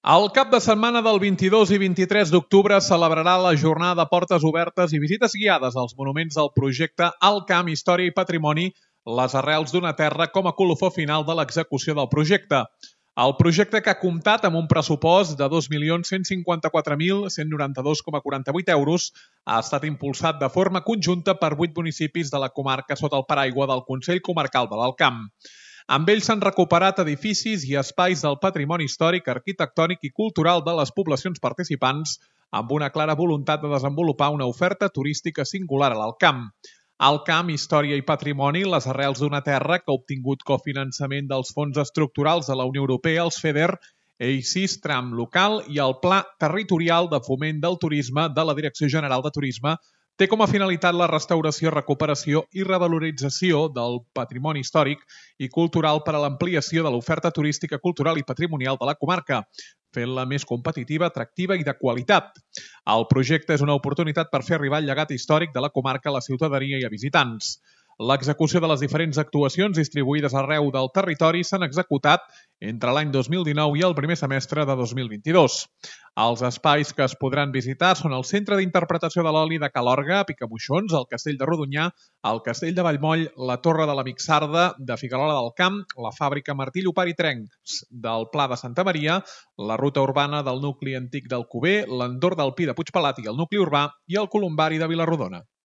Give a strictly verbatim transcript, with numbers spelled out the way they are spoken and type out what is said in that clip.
El cap de setmana del vint-i-dos i vint-i-tres d'octubre celebrarà la jornada Portes Obertes i visites guiades als monuments del projecte Alt Camp, Història i Patrimoni, les arrels d'una terra com a colofó final de l'execució del projecte. El projecte, que ha comptat amb un pressupost de dos milions cent cinquanta-quatre mil cent noranta-dos coma quaranta-vuit euros, ha estat impulsat de forma conjunta per vuit municipis de la comarca sota el paraigua del Consell Comarcal de l'Alt Camp. Amb ells s'han recuperat edificis i espais del patrimoni històric, arquitectònic i cultural de les poblacions participants, amb una clara voluntat de desenvolupar una oferta turística singular a l'Alt Camp. Alt Camp, Història i Patrimoni, les arrels d'una terra que ha obtingut cofinançament dels fons estructurals de la Unió Europea, els FEDER, E I C I S Tram Local i el Pla Territorial de Foment del Turisme de la Direcció General de Turisme, té com a finalitat la restauració, recuperació i revalorització del patrimoni històric i cultural per a l'ampliació de l'oferta turística, cultural i patrimonial de la comarca, fent-la més competitiva, atractiva i de qualitat. El projecte és una oportunitat per fer arribar el llegat històric de la comarca a la ciutadania i a visitants. L'execució de les diferents actuacions distribuïdes arreu del territori s'han executat entre l'any dos mil dinou i el primer semestre de dos mil vint-i-dos. Els espais que es podran visitar són el Centre d'Interpretació de l'Oli de Calorga, a Picamoixons, el Castell de Rodonyà, el Castell de Vallmoll, la Torre de la Mixarda de Figuerola del Camp, la Fàbrica Martí Llopart i Trencs del Pla de Santa Maria, la Ruta Urbana del nucli antic d'Alcover, l'Entorn del Pi de Puigpelat i el nucli urbà i el Columbari de Vilarrodona.